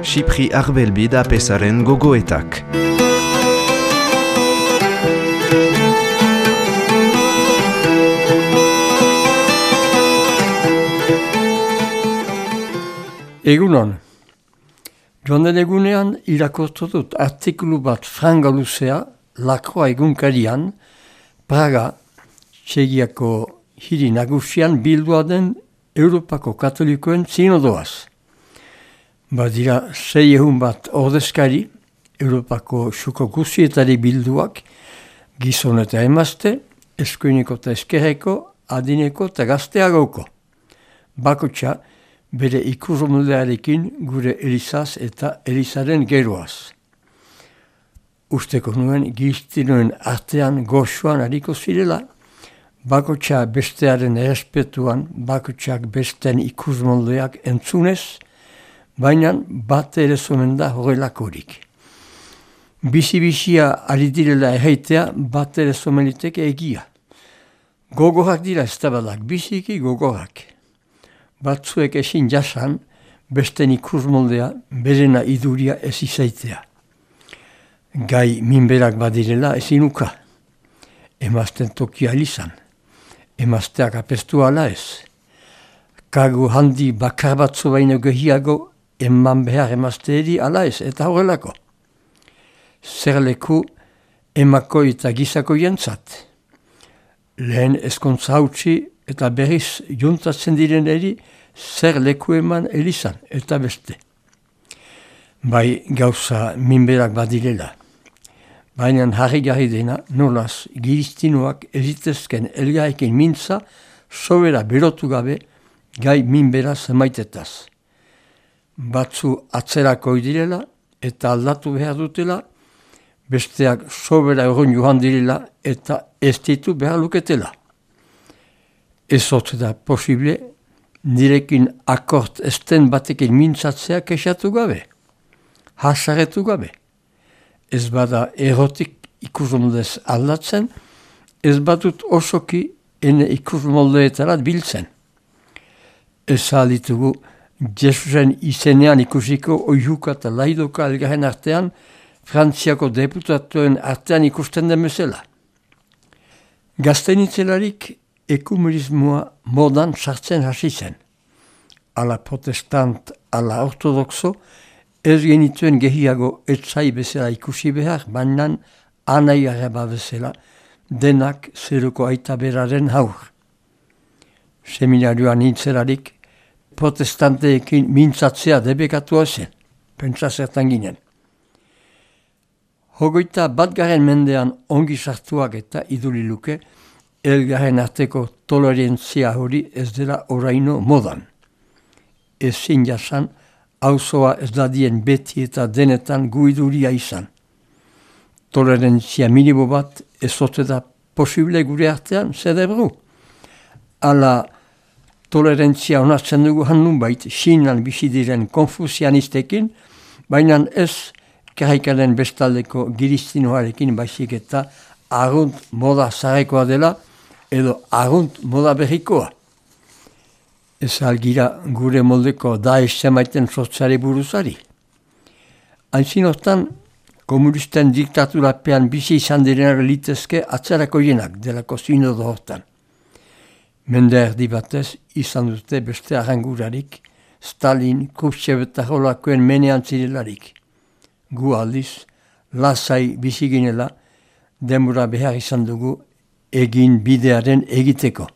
Xipri Arbelbid apesaren gogoetak. Egunon, joan den egunean irakurtu dut artikulu bat franga luzea Lakroa egunkarian, Praga, Txegiako hiri nagusian bildua den Europako Katolikoen sinodoaz. Badira 600 bat ordezkari, Europako xuko guzietari bilduak, gizon eta emazte, eskuineko eta eskerreko, adineko eta gazteagoko. Bakotxa, bere ikusmoldearekin gure Elizaz eta Elizaren geroaz. Usteko nuen giztinoen artean goxoan hariko zirela, bakotxa bestearen errespetuan, bakotxak besten ikusmoldeak entzunez, baina bat ere zonen da horrelakorik. Bizi-bizia ari direla erraitea bat ere zomeniteke egia. Gogorak dira ez tabalak, biziki gogorak. Batzuek ezin jasan, besten ikusmoldea, berena iduria ez izaitea. Gai minberak badirela ezin uka. Emazten tokia elizan. Emazteak apestu ala ez. Kagu handi bakar batzu baino gehiago, eman behar emazteeri ala ez, eta horrelako. Zer leku emako eta gizako jentzat. Lehen eskontza hautsi eta berriz juntatzen direneri zer leku eman elizan eta beste. Bai gauza minberak badirela. Baina harri dena nolaz giristinoak ezitezken elgarekin mintza sobera berotu gabe gai minbera zemaitetaz. Batzu atzerako direla eta aldatu behar dutela, besteak sobera egon joan direla eta ez ditu behar luketela. Ez hot da posible, nirekin akort esten batekin mintzatzea kexatu gabe, hasaretu gabe. Ez bada erotik ikusmoldez aldatzen, ez badut osoki ene ikusmoldeetarat biltzen. Ez alditugu Jesusen izenean ikusiko oihuka eta laidoka elgarren artean, Frantziako deputatuen artean ikusten den bezala. Gaztenitzelarik ekumenismoa modan sartzen hasi zen. Ala protestant, ala ortodoxo, ez genituen gehiago etzai bezala ikusi behar, baina anai arreba bezala, denak zeruko aita beraren haur. Seminarioan nintzelarik, protestanteekin mintzatzea debekatua zen, pentsa zertan ginen. 21. mendean ongi sartuak eta iduliluke, elgarren arteko tolerantzia hori ez dela oraino modan. Ezin jasan, auzoa ez dadien beti eta denetan guiduria izan. Tolerantzia minimo bat ez ote da posible gure artean, zedebru. Ala tolerantzia onartzen dugu hannun bait, Sinan bizi diren konfusianistekin, baina ez karikaren bestaldeko giristinoarekin baizik eta argunt moda zarekoa dela edo argunt moda berrikoa. Ez algira gure moldeko Daesh zemaiten sortzari buruzari. Haintzin hortan, komunisten diktaturapean bizi izan direnak litezke atzerako jenak delako sinodo hortan. Mende erdi batez izan dute beste arrangurarik, Stalin, Khrushchev eta holakoen menean zirelarik. Gu aldiz, lasai biziginela, denbora behar izan dugu egin bidearen egiteko.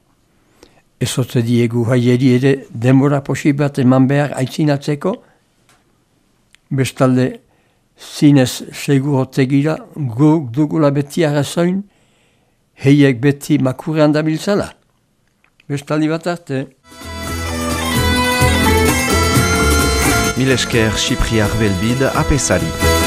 Ezote diegu haieri ere denbora posibat eman behar aitzinatzeko, bestalde zinez segurotegira guk dugula beti arrazoin, heiek beti makurrean dabiltzala. Bestaldi bat arte. Mil esker Xipri Arbelbid apesari.